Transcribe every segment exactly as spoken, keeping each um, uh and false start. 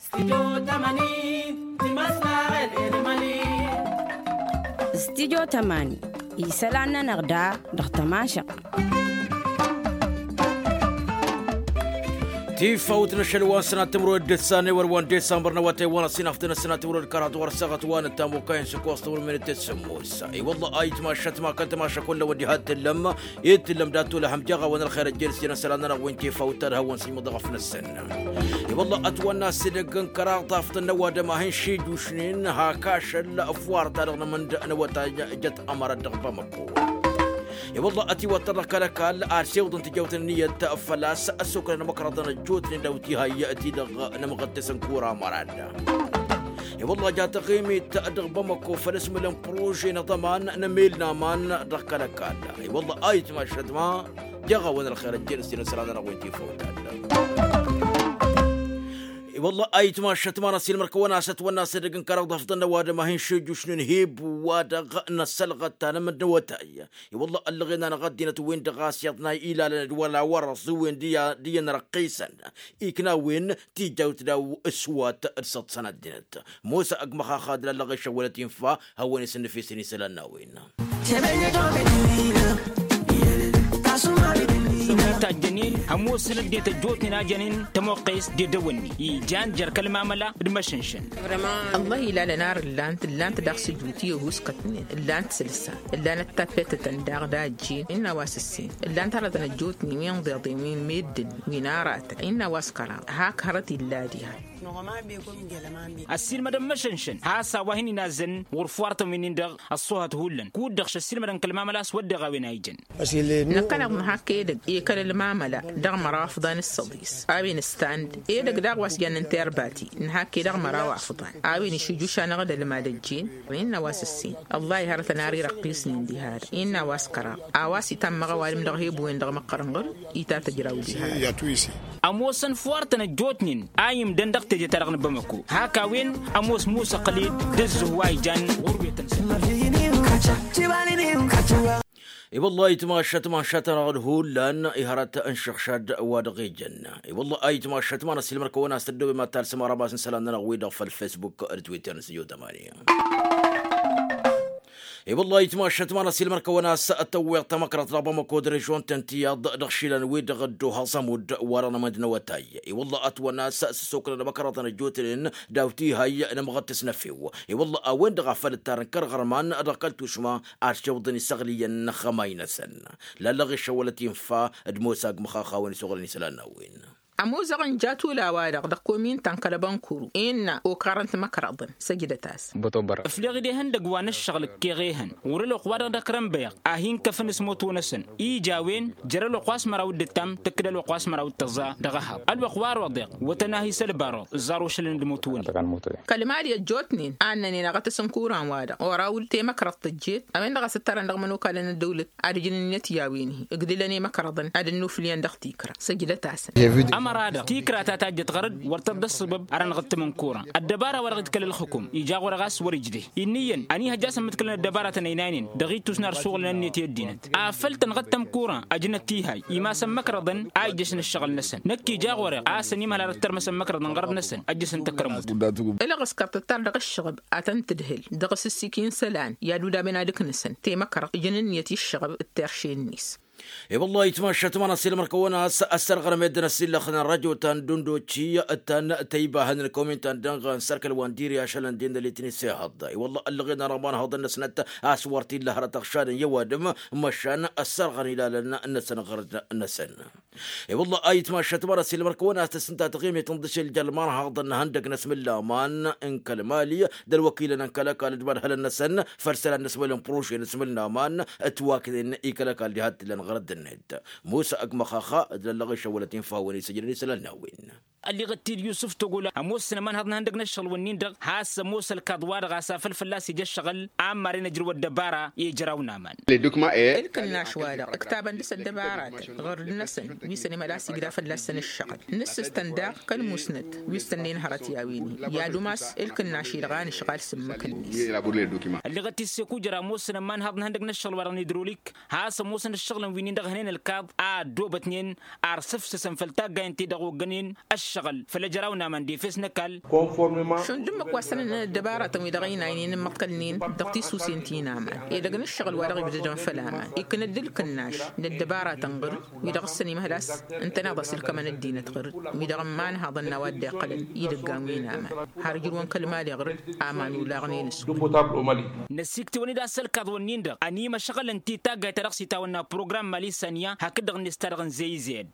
Studyo tămani. Studyo tămani isălan-nănăɣ da dăɣ-tămašăɣt. Tifawt n-ašăl wa n-sănat timǝrwen d-ǝssan i-wăr wa n-disambăr n-awătay wa n-ăsinaftă n-sănat timǝrwen d-kăraḍ wăr săɣăt wa n-ăttam okayăn s-ăkkoẓ timǝrwen minit d-sǝmmos. I-wălla ayǝtmašăt ma kăl-tămašăk wălla wăddi had tǝllăm. Ed tǝllăm dat-olăhăm jaɣ-awăn ălxer ăjjeen s-jăn ăsălan-nănăɣ wi n-tifawt ta d-hawăn-sǝjmǝḍ dăɣ-afnăs-săn. I-wălla ătwănna s-edăgg n-kăraḍ taftăn n-ăwadǝm a hin-šijjušnen hak ašăl ăfwarta dăɣ-nămănd n-awătay jăt ămărăt dăɣ-bamăko. I-wălla ătiwăttăr dăɣ-kăl-ăkall ad-siwǝḍăn tijawt n-ǝnniyăt făl-a-s ăssoknăn imăkrăḍăn ăjjootnen daw-tihay-ti-dăɣ n-amɣăttes n-kura ămărad. I-wălla ja taɣimit dăɣ-bamăko făl ǝsmǝlăn prože n-aḍăman n-emel n-aman dăɣ-kăl-ăkall. I-wălla ayǝtmašăt ma jaɣ-awăn ălxer ăjjeen s-tinǝsra-nănăɣ wi n-tifawt-ad-dăɣ. I-wălla ayǝtmašăt ma n-ăsilmăr-kăwăn-as ătwănna s-edăgg n-kăraḍ afḍăn n-ăwadǝm a hin-šujjušnen hib-wa-dăɣ n-ăssălɣăt ta n-amǝd n-awătay. I-wălla ăllăɣen-anăɣ ăddinăt-wen-dăɣ a-s iyyăḍ n-a ilalăn d-wăla wăr-ăẓǝwen d-iyyăn ărqqisăn iknawen tijawt daw ǝswat d-săḍsăn ăddinăt. Mosa ăgg măxaxa d-lallăɣ išăwwălăt infa hawăn-isǝnnǝfisăn isălan n-a-wen. Tajjănen hămoosăn ăddinăt ăjjootnen a jănen tămoqqes d-edăwănni ijan jer-kăl-mamăla d-măšǝnšăn. Ăllah ilalăn ar ǝllan-t ǝllan-t daɣ s-ǝjut i-ăhuuskătnen ǝllan-t sălsa ǝllan-t tappetătăn daɣ d-a ăjjeen innă a-wa s-ǝssin ǝllan-t hărătăn ăjjootnen wi n-iḍeḍen wi n-meddǝn wi n-aratăn innă a-wa s-kăraḍ hak hărăt illa diha. Ăssiilmădăn măšănšăn has-a-wa hin-inazzăn ɣur-fuwartăn wi-nin-dăɣ ăṣṣuhăt hullan kud-dăɣ šăssiilmădăn kăl-mamăla a-s wădden a-wen a ijăn. Năkkăneḍ nǝhak edăgg i-kăl-ălmamăla dăɣ-măraw afḍan s-săḍis a-wen ǝstan-dd edăgg daɣ wa s-jannen terbati nǝhak-e dăɣ-măraw afḍan a-wen išujuš-anăɣ d-ălmad ăjjeen. Innă a-wa s-ǝssin ăllah ihărătăn ar irăqqisnen diha-dăɣ innă a-wa s-kăraḍ a-wa s-itammăɣ ăwadǝm dăɣ-hebu-en-dăɣ măqqărăn ɣur-i ta tăjraw diha-dăɣ. Ămoosăn fuwartăn ăjjootnen a imdăn dăɣ-teje-ta-dăɣ n-bamăko hak-a-wen ămoos musa ăqqăl-dd d-ǝzzǝh wa ijan ɣur-wetăn-săn. I-wăllah ayǝtmašăt ma n-šatăn-aɣ d-hullan ihărăt n-išǝɣšad wa dăɣ-ijăn. I-wăllah ayǝtmašăt ma n-ăssiilmăr-kăwăn-as tăddobem ad-talsăm arabas n-isălan-nănăɣ-wi-dăɣ făll-fesbuk d-twitter n-sǝjo tămani. I-wăllah ayǝtmašăt ma n-ăsilmăr-kăwăn-as tăwweḍ tamăkrăḍt dăɣ-bamăko d-režon-tăn tiyyăḍ dăɣ-išilan-wi-dăɣ ăddoh aẓămud wa-dăɣ n-amănd n-awătay. I-wăllah ătwănna a-s s-ăssoknăn amăkrăḍăn ăjjootnen daw tihăy n-amɣăttes n-efew. I-wăllah a-wen-dăɣ a făl ǝttarăn kăr-iɣărman dăɣ-kăl-tušma ad-šewḍăn isăɣliyăn n-ăxxămay-năsăn. Lallăɣ išăwălăt infa d-mosa agmăxax a-wen isuɣǝlăn isălan n-a-wen. Ămuzăɣ n-jatula-wa-dăɣ dăɣ-komin ta n-kăl-ăbănkuru innă okarăn timăkrăḍăn săjdăt-as. Ǝfleɣ-dd ehăndăgg wa n-ǝššăɣǝl ǝkkeɣ ehăn ɣur-ălwăqq-wa-dăɣ d-ăkrănbăyăɣ a hin-kăfăn s-moto-năsăn ija a-wen jer-ălwăqq wa s-măraw d-ǝttam tǝkkǝd ălwăqq wa s-măraw d-tăẓẓa dăɣ-ăhaw ălwăqq wa roḍeɣ wătăn-ahi s-ălbaruḍ ẓẓar ošălăn d-moto-ni. Kăl-mali ăjjootnen a ǝnnănen aɣătăs n-kuran-wa-dăɣ oraw-dd temăkrăḍt tăjjeet a-wen-dăɣ a-s ǝttarăn dăɣ-imănokalăn n-ăddăwlăt ad-ǝjǝn ǝnniyăt i-a-wen-hi ǝgdǝlăn i-imăkrăḍăn ad-ǝnnuflǝyăn dăɣ-tikră săjdăt-asăn. Ămăra-dăɣ tikra ta tajjăt ɣăr-dd wăr tăḍḍa ăssăbăb ar ănɣǝttǝm n-kuran ăddăbara-wa-dăɣ ǝdkăl ălxǝkum ija ɣur-e ɣas wăr-ijde. Inn'-iyyăn ăniihăjja a-s ămmǝdkǝlăn ăddăbara tănăynaynen dăɣ-ittus n-ad-suɣǝlăn ǝnniyăt i-ăddinăt afăl tănɣăttăm kuran ăjnăt tihay imasăn măkrăḍăn a ijjăšăn ǝššăɣǝl-năsăn. Năkk ija ɣur-e ɣas ănimhăl ad-ăttărmăsăn măkrăḍăn ɣărăt-năsăn ăjjăsăn tăkrămut. Ălɣǝskăr tǝttar dăɣ-ǝššăɣăb ad-tăn-tǝdhǝl dăɣ-s ǝssikǝy n-isălan i-ad-udaben ad-ǝknǝsăn temăkrăḍt ǝjăn ǝnniyăt i-ǝššăɣăb d-terše-net. I-wăllah ayǝtmašat ma n-asǝlmăr-kăwăn a-s ăssărɣărăm ed ănăsillăxăn n-rajot ta n-dundoci ta n-tăybahăn n-kăwmin ta n-dănɣăn s-ărkăl wa n-diri ašăl n-din d-ălitnis ihăḍ. I-wăllah ăllăɣen-anăɣ imanhăḍăn-năsnăt a-s wăr t-illa hărăt ăɣšadăn i-ăwadǝm măšan ăssărɣăn ilalăn-năsăn ɣărd-năsăn. I-wăllah ayǝtmašat ma n-asǝlmăr-kăwăn a-s tăsnǝnta taɣimit n-dăšel jer-imanhăḍăn n-ihăndăg n-asmǝllaman n-kăl-mali d-ălwăkilăn n-kăl-ăkall d-imadhălăn-năsăn făll-isălan n-asmǝl n-prože n-asmǝllaman ătwaknen i-kăl-ăkall diha t-illăn ɣărăt-net. Musa ăgg măxaxa d-lăllăɣ išăwwălăt infa a-wen isǝjrăn isălan n-a-wen. Ălleɣăt-t-dd yusǝf togol ămoosăn ămanhăḍ n-ihăndăg n-ǝššăɣǝl-wǝnnin-dăɣ has-ămoos ălkaḍ-wa-dăɣ a-s afăl fălla-s ija ǝššăɣǝl a ămmarăn ăjrăw ăddăbara i-ijraw n-aman. Ǝlkǝnnaš wa-dăɣ ǝktabăn dăr-s ăddăbaratăn ɣărd-năsăn wi săn imhăl a-s igda fălla-săn ǝššăɣǝl. Nǝssǝstăn daɣ kăl-musnăt wi s-tănnăyăn hărăt i-a-wen-i i-ad-umas ǝlkǝnnaš-i-dăɣ a nǝšɣal s-ǝmmǝk-net. Ălleɣăt-t-dd s-ekujăr a ămoosăn ămanhăḍ n-ihăndăg n-ǝššăɣǝl-wa-dăɣ n-idrolik has-ămoosăn ǝššăɣǝlăn wi-nin-dăɣ hănen ălkaḍ a ăddoobătnen ar s-ǝfsǝsăn făll-taggayăn-ti-dăɣ oggănen ăššăɣǝl făll-ejăraw n-aman d-efes n-ăkall. Šund ǝmmǝk wa s-tăn-ănnăn ăddăbaratăn-wi-dăɣ ăynaynen ǝmmăḍkălnen dăɣ-tisusen ti n-aman edăgg n-ǝššăɣǝl-wa-dăɣ ibdădăn făll-aman iknăd ǝlkǝnnaš n-ăddăbaratăn ɣǝr-dd wi-dăɣ ǝssăn imhăl a-s ǝntăneḍ a-s ǝlkămăn ăddinăt ɣǝr-dd wi-dăɣ ǝmmanhăḍăn n-a-wa dd-iqqălăn idăggan wi n-aman har ǝjrǝwăn kăl-mali ɣǝr-dd. Aman olaɣnen s-wi. Năsiktǝwăn-dd a-s ălkaḍ-wǝnnin-dăɣ ănimăšɣălăn-t i-taggayt-ta-dăɣ s-itawănna program mali saniya hakd-dăɣ-net ta dăɣ-nzey zed.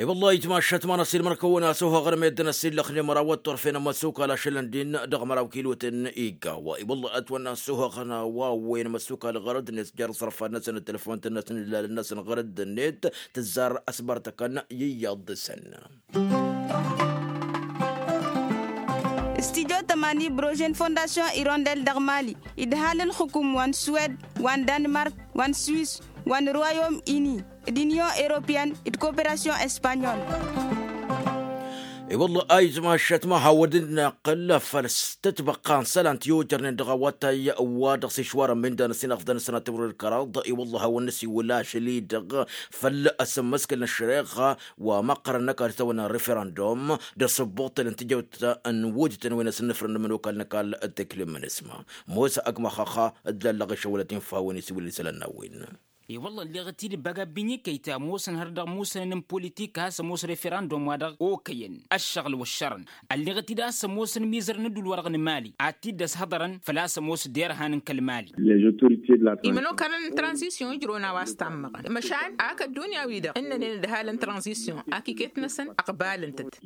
I-wălla-hi tmašat ma n-asilmăr kăwăn-asuhăɣ n-meddǝn ăsillăxnen măraw ăṭṭurfen ămăsukal ašălăn din dăɣ-măraw kilotăn iggaw. I-wălla-hi ătwănna asuhăɣ n-a-wa ăwwăyăn ămăsukal ɣărăd-net jer-iẓrăfan-năsăn d-telăfont-năsăn d-ilalăn-năsăn ɣărăd-net tǝzzar ăsbărtăkăn i-iyyăḍ dăɣ-săn. Studio tămani brožen fondasyon irondel dăɣ-mali idhal ǝlxǝkum wa n-suwed wa n-danmark wa n-swis wa n-royom ini d-inyon europeyăn d-koperasyon espanyol. I-wălla-hi a izmašat ma hawăn-dd-năqqǝl făll-s tătbăqqa n-isălan ti-ojărnen dăɣ-awătay wa dăɣ-s išwarăn mindan ăsinăɣ fădăn sănatăwrăd kăraḍ. I-wălla-hi hawăn-năsiwǝl ašăl-i-dăɣ făll-asǝmmăskǝl n-ăššăreɣa wa măqqărăn n-ăkall s-tawănna n-referandum d-asǝbbuṭṭǝl n-tijăwt n-wǝjtăn wi n-asǝnnǝfrăn n-imănokal n-ăkall. Teklem n-isma mosa ăgg măxxăxxa d-lallăɣ išăwălăt infa hawăn-isiwǝl isălan n-a-wen. I-wălla ălleɣăt-dd băgabbinyǝkăy ta ămoosăn hărăt dăɣ-musănăn n-politik a-s ămoos referandum-wa-dăɣ okăyăn ăššăɣǝl wăššărăn. Ălleɣăt-dd a-s ămoosăn imizărăn n-ădduul-wa-dăɣ n-mali ad-t-dd-ăshăḍărăn făl-a-s ămoos derhan n-kăl-mali. Imănokalăn n-tranzisyon ǝjrăwăn a-wa s-tammăɣăn măšan ak ăddunya-wi-dăɣ ǝnnănen ǝdhalăn tranzisyon ak iket-năsăn ăqbalăn-tăt.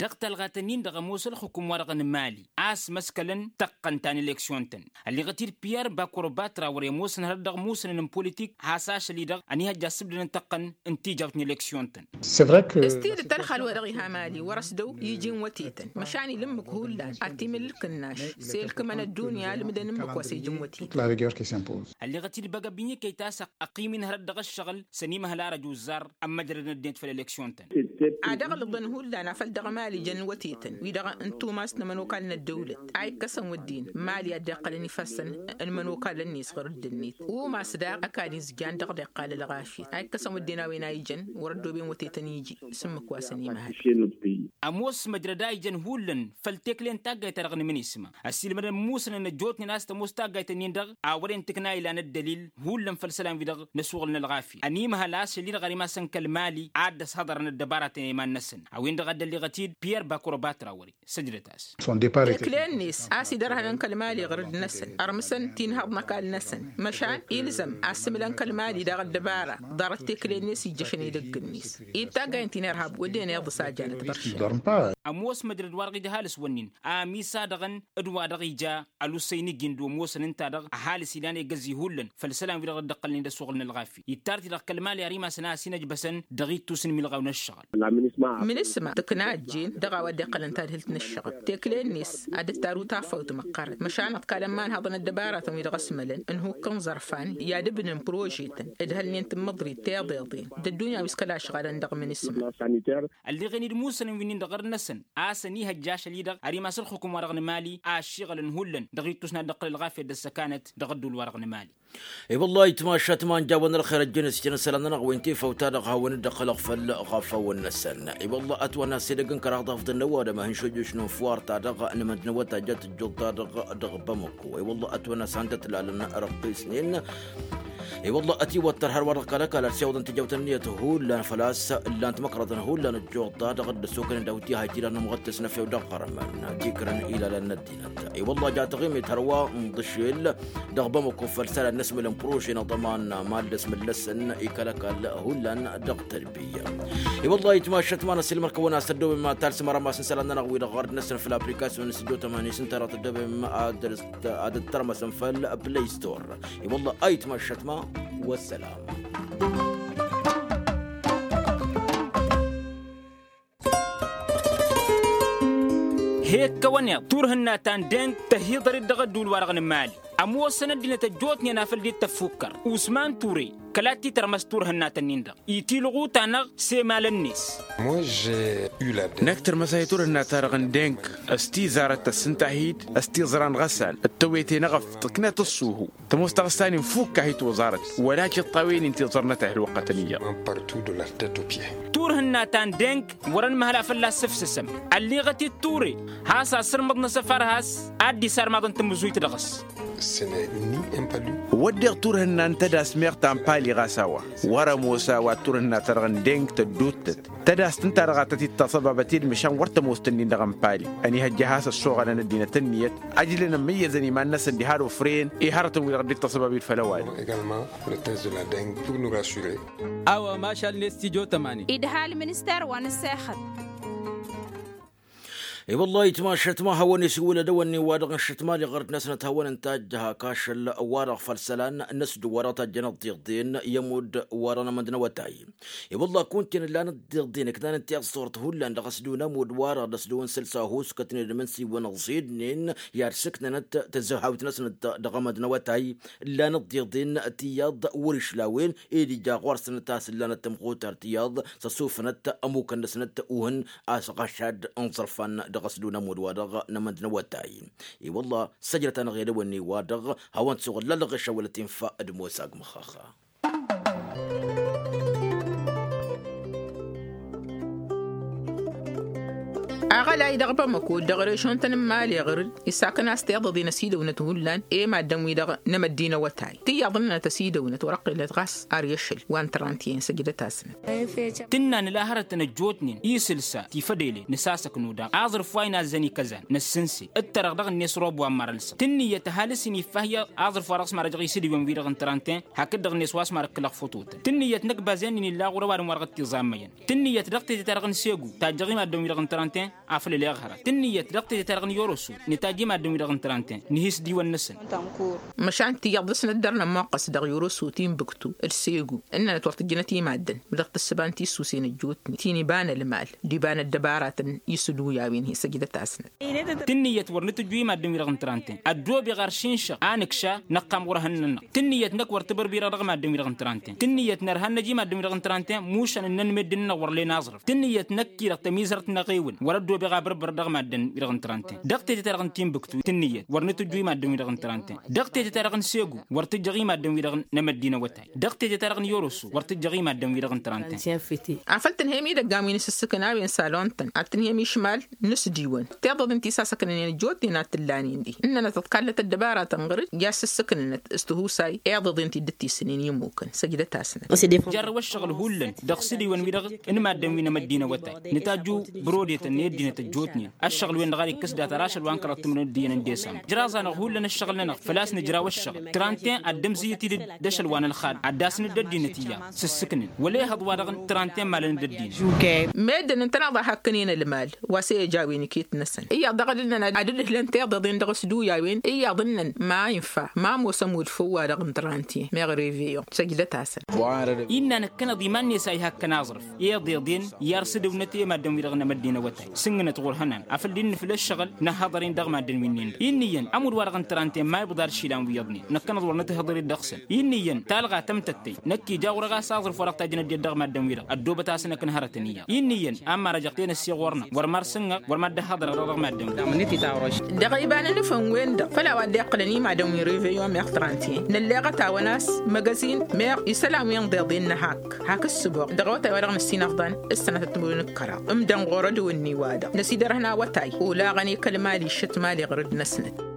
Dăɣ-talɣat-ǝnnin-dăɣ ămoos ǝlxǝkum-wa-dăɣ n-mali a-s măskălăn tăqqăn ta n-eleksyon-tăn. Ălleɣăt-dd piyer bakorobat rawăr i-ămoosăn hărăt dăɣ-musănăn n-politik has-ašăl-i-dăɣ ănihăjja ăssǝbdădăn tăqqăn n-tijawt n-eleksyon-tăn. S-tidǝt ălxal-wa-dăɣ iha mali wăr-ăsdăw iji n-wătetăn măšan ila ǝmmǝk hullan ad-t-imǝl ǝlkǝnnaš s-e-ǝlkǝmăn ăddunya ǝlmǝdăn ǝmmǝk wa s-ija n-wătetăn. Ălleɣăt-dd băgabbinyǝkăy ta s-ăqqim-in hărăt dăɣ-ǝššăɣǝl s-ănimăhăl arăj uzzar ămmăjrădăn ăddinăt făll-eleksyon-tăn. Ad-ăɣlǝḍăn hullan afăl dăɣ-mali jăn wătetăn wi-dăɣ n-tumas n-ămanokal n-ăddăwlăt a ikkăsăn wădden mali a dd-iqqălăn ifassăn n-imănokalăn-net ɣur-dd-net umas daɣ ăkall izjan dăɣ-dd-iqqal ălɣafyăt a ikkăsăn wădden a-wen a ijăn wăr-ăddooben wătetăn iji s-ǝmmǝk wa s-ănimăhăl. Ămoos măjrăd a ijăn hullan făll-tekle n-taggayt-ta-dăɣ n-imǝnisma ăsiilmădăn musănăn ăjjootnen a-s tămoos taggayt-ǝnnin-dăɣ a wăren tǝkna ilan ăddălil hullan făll-isălan-wi-dăɣ n-asuɣǝl n-ălɣafya ănimăhăl a-s šăl-i-dăɣ ărimăsăn kăl-mali ad-dd-ăshăḍărăn ăddăbaratăn i-iman-năsăn a-wen-dăɣ a dd-ălleɣăt-dd piyer bakorobat rawări. Săjdăt-as. Tekle-net a-s idărhănăn kăl-mali ɣur-dd-năsăn ărmǝsăn tinhăḍ n-ăkall-năsăn măšan ilzăm a ăssǝmǝlăn kăl-mali daɣ ăddăbara ḍarăt tekle-net ijjăšăn edăgg-net. Id taggayăn tinărhab wădden iḍǝs a janăt băršen. Ămoos măjrăd-wa-dăɣ ija ăhalǝs wănnin amisadăɣăn d-wa-dăɣ ija ălussăy n-iji n-dd-omoosăn ǝnta-dăɣ ăhalǝs ilan egăzi hullan făll-isălan-wi-dăɣ dd-ăqqălnen d-asuɣǝl n-ălɣafya ittar-t-dăɣ kăl-mali ar imasăn a ăsinăjbăsăn dăɣ-ittus n-imilɣaw n-ǝššăɣǝl. Mǝnǝsma tǝkna ăjjeen dăɣ-a-wa dd-iqqălăn tadhǝlt n-ǝššăɣǝl tekle-net ad-dd-taru tafawt măqqărăn măšan ăḍkalăn imanhăḍăn ăddăbaratăn-wi-dăɣ ăsmălăn ǝnhukk n-iẓărfan i-ad-ǝbnǝn prožetăn ǝdhălnen tǝmmǝḍrit tiḍeḍen d-ăddunya wi s-kăla ăšɣalăn dăɣ-mǝnǝsma. Ălleɣen-dd musănăn wi-nin-dăɣ ɣur-năsăn a-s ănihăjja ašăl-i-dăɣ ar imas ălxukum-wa-dăɣ n-mali a ăššiɣălăn hullan dăɣ-ittus n-ad-dd-iqqăl ălɣafyăt d-ăssăkanăt dăɣ-ădduul-wa-dăɣ n-mali. I-wăllah itmašat ma n-jawăn ălxer ăjjăn s-jăn isălan-nănăɣ wi n-tifawt-ta-dăɣ hawăn-dd-ăqqǝlăɣ făll-ɣafawăn-năsăn. I-wăllah ătwănna s-edăgg n-kăraḍ afḍăn n-ăwadǝm a hin-šojjuš n-unfăwar-ta-dăɣ n-imǝndǝn awătay jat ǝjjuḍ-ta-dăɣ dăɣ-bamăko. I-wăllah ătwănna s-han-tăt-lalăn răqqisnen. I-wăllah ătiwăttăr hărwa-dăɣ kăl-ăkall ad-siwăḍăn tijawt ǝnniyăt hullan făl-a-s ǝllan-t măkrăḍăn hullan ǝjjuḍ-ta-dăɣ dd-ăssokănen daw-t iha itiran n-amɣăttes n-efew dăɣ-iɣărmăn tikrăn ilalăn n-ăddinăt. I-wăllah ja taɣimit hărwa n-iḍǝšel dăɣ-bamăko făll-isălan n-asmǝlăn prože n-aḍăman ma dd-ăsmǝllăsăn i-kăl-ăkall hullan dăɣ-tărbiya. I-wăllah itmašat ma n-ăsilmăr-kăwăn a-s tăddoobem talsǝm arămas n-isălan-nănăɣ wi-dăɣ ɣărd-năsăn făll-aplikasyon n-sǝjo tămani s-ǝnta dăɣ-tăddoobem ad-dd-tărmăsăm făll-play store. I-wăllah ayǝtma ăššătma. Wăssălam. He-ǝkkăwăn iḍ turhǝnna ta n-deng tăhiḍăr-dd dăɣ-ădduul-wa-dăɣ n-imali. Ămoosăn ăddinăt ăjjootnen afăl dd-tăffukkăr usman ture kăla t-titărmăs turhǝnna-tăn-in-dăɣ itilɣu-ta-năɣ s-emalăn-net. Năkk tărmăsay turhǝnna-ta-dăɣ n-deng s-tizarăt tăssǝnta-hi-dd s-tiẓra n-iɣăssan d-tewete n-eɣăft tǝknăt ăṣṣuhu. Tămoos taɣǝsta-nin fukk-ahi toẓarăt wăla tiṭṭawen-in tiẓrănăt a hi-ălwăqqătăn iyyăḍ. Turhǝnna ta n-deng wăr-ănmăhăl a fălla-s sǝfsǝsăm. Ălliɣăt-dd ture has-asǝrmǝḍ n-asăfar has-ad-dd-isarmaḍăn tamǝzuyt dăɣ-s. Wădden turhǝnna n-tădas meɣ ta n-pali ɣas a-wa wăr-ămoos a-wa d-turhǝnna-ta-dăɣ n-deng tădduuttăt tădast ǝnta-dăɣ a tăt-dd-taṣăbabăt i-dd măšan wăr tămoos-tăn-in-dăɣ n-pali. Ănihăjja has-ăssoɣălăn ăddinăt ǝnniyăt ăjlăn ămmăyyăzăn iman-năsăn diha d-ofren i-hărătăn-wi-dăɣ dd-taṣăbab-dd făll-ăwadǝm. A-wa mašal n-estidyo tămani. Idhal minister wa n-ăssexăt. I-wălla itmašăt ma hawăn-isǝwǝlăd ăwănnin-wa-dăɣ n-išǝtmali ɣărăt-năsnăt hawăn-ǝntajjăh aka ašăl-wa-dăɣ făll-isălan n-asǝdǝw-wa-dăɣ tajjăn ăḍḍiḍen i-ămudd wa-dăɣ n-amădd n-awătay. I-wălla kunta-en ǝllan ăḍḍiḍen ǝknan ǝnta i-ăṣṣurăt hullan dăɣ-asǝdǝw n-ămudd-wa-dăɣ d-asǝdǝw n-sălsa ăhuuskătnen d-imǝnsiwăn ǝẓidnen i-ad-sǝknănăt tǝzzăhawt-năsnăt dăɣ-amădd-năwătay. Ǝllan ăḍḍiḍen tiyyăḍ wăr-išlawen ed ija ɣur-săn a-s ǝllanăt tămxutart iyyăḍ s-ăsufănăt ămukăn-năsnăt uhǝn a-s ɣašad n-iẓărfan dăɣ-asǝdǝw n-ămudd-wa-dăɣ n-amădd-năwătay. I-wălla săjdăt-anăɣ i-ad-ăwănni-wa-dăɣ hawăn-t-suɣǝl lălɣeš a wălăt infa d-mosa agmăxxaxa. Aɣălay dăɣ-bamăko dăɣ-režon-tăn n-imali ɣǝr-dd isakăn a-s tiḍăḍen ăsidăwnăt hullan i-maddǝn-wi-dăɣ n-amăddin awătay tiyyăḍ ǝnnănăt ăsidăwnăt wăr-ăqqilnăt ɣas ar i-ašăl wa n-trăntiyen săjdăt-asnăt. Tǝnna nǝla hărătăn ăjjootnen isǝlsa tifădele nǝsasăknu daɣ aẓrǝf wa inazzăn ikăzan năssǝnse d-tărăɣ dăɣ-net rob wa n-marălsăɣ tǝnnǝyăt ăhalǝs-in iffahyăɣ aẓrǝf wa dăɣ-s marăjăɣ isǝdiwăn-wi-dăɣ n-trănten. Hakd-dăɣ-net wa s-marăkkălăɣ fototăn tǝnnǝyăt năkk bazen-in illa ɣur-ăwadǝm wa dăɣ-t-iẓammăyăn tǝnnǝyăt dăɣ-tete-ta-dăɣ n-segu tajjăɣ i-maddǝn-wi-dăɣ n-trănten. Afăl ăleɣ hărăt tǝnnǝyăt dăɣ-tete-ta-dăɣ n-yoroso nǝtajj i-maddǝn-wi-dăɣ n-trănten nǝhis diwăn-năsăn. Măšan tiyyăḍ dăɣ-s năddărnăm muqqăs dăɣ-yoroso timbuktu d-segu ǝnnănăt wăr tǝjjǝnăt i-maddǝn mi-dăɣ tǝssǝba n-tissuse n-ăjjootnen ti n-iba n-ălmal d-iba n-ăddăbaratăn isǝlwǝy a-wen hi-săjdăt asnăt. Tǝnnǝyăt wăr nǝtǝjju i-maddǝn-wi-dăɣ n-trănten ăddoobeɣ ar šinšăɣ a nǝkša năqqam ɣur-ehăn-nănăɣ. Tǝnnǝyăt năkk wăr tibărbirăɣ dăɣ-maddǝn-wi-dăɣ n-trănten tǝnnǝyăt nărha n-năj i-maddǝn-wi-dăɣ n-trănten mušan ǝnnăn meddǝn-nănăɣ wăr len aẓrǝf tǝnnǝyăt năkk-i-dăɣ tămizhărt n-aɣewǝl wăr-ăddoobeɣ abărbăr dăɣ-maddǝn-wi-dăɣ n-trănten. Dăɣ-tete-ta-dăɣ n-tinbǝktu tǝnnǝyăt wăr nǝtǝjju i-maddǝn-wi-dăɣ n-trănten dăɣ-tete-ta-dăɣ n-segu wăr tǝjjăɣ i-maddǝn-wi-dăɣ n-emăddin awătay. Dăɣ-tete-ta-dăɣ n-yoroso wăr tǝjjăɣ i-maddǝn-wi-dăɣ n-trănten. Afăl tǝnhăyăm idăggan wi n-asǝssǝkǝn a-wen salon-tăn ad-tǝnhăyăm išmal n-asǝdiwăn tiḍăḍen ti s-asăknănen ăjjootnen ad-t-ǝllanen dihen ǝnnănăt ǝḍkallăt ăddăbaratăn ɣăr-dd i-ad-sǝssǝknănăt s-tihusay iḍăḍen ti dd-tisǝnen i-ǝmmukăn săjdăt-asnăt. Jarrăw ăššăɣǝl hullan dăɣ-sǝdiwăn-wi-dăɣ n-maddǝn wi n-emăddin awătay nǝtajju brodetăn i-ăddinăt ăjjootnen ăššăɣǝl-wen-dăɣ ad-ikkǝs data rašăl wa n-kăraḍ timǝrwen d-iyyăn n-desambăr jraẓ-anăɣ hullan ăššăɣǝl-nănăɣ făl-a-s nǝjraw ăššăɣǝl trănten ad-dd-ămzǝyyăt-dd d-ašăl wa n-ălxad ad-dd-asnǝd ăddinăt iyyăḍ s-ǝssǝknăn wăla ihăḍ-wa-dăɣ n-trănten malăn-dd ăddinăt. Meddǝn ǝntăneḍ a hakkănen ălmal wa s-e-ăj a-wen iket-năsăn iyyăḍ dăɣ-dd-ǝnnăn ad-dd-ǝhlăn tiḍeḍen dăɣ-s d-uyawen iyyăḍ ǝnnăn ma infa ma ămoos ămulfăw-wa-dăɣ n-trănten meɣ reveyon săjdăt-asăn. Innă năkkăneḍ iman-net a ihakk ănaẓrǝf i-iḍeḍen i-arsǝdǝwnăt i-maddǝn-wi-dăɣ n-emăddin awătay sǝnnǝnăt ɣur-ihănan afăl dd-nǝfǝl ăššăɣǝl năhhăḍăr-in dăɣ-maddǝn wi-nin-dăɣ. Inn'-iyyăn ămudd-wa-dăɣ n-trănten ma ibḍa ad-išilan wi iyyăḍnen năkkăneḍ wăr nǝtǝhhǝḍăr-dd dăɣ-săn. Inn'-iyyăn talɣa tămtăttăy năkk ija ɣur-e ɣas aẓrǝf wa dăɣ-tajjăn ăddinăt dăɣ-maddǝn-wi-dăɣ ăddoobăt-asăn akǝnhărătăn iyyăḍ. Inn'-iyyăn a ămmarăjăɣ tenăsse ɣur-năɣ wăr mar s-ǝnnăɣ wăr mad-dd-ăhhăḍărăɣ dăɣ-maddǝn-wi-dăɣ. Dăɣ-iba n-anǝfăn-wen-dăɣ făl a-wa dd-iqqǝlăn i-madăn wi n-reveyon meɣ trăntiyen nălleɣăt-awăn a-s măgăzin meɣ isălan wi ǝnḍeḍen năhakk hak ǝssǝboɣ dăɣ-awătay-wa-dăɣ năsinăfḍan s-sănătăt timǝrwen d-kăraḍ ǝmdăn ɣur-ădwǝnni-wa-dăɣ năsidărhăn awătay olaɣăn i-kăl-mali šăt mali ɣur-dd-năsnăt.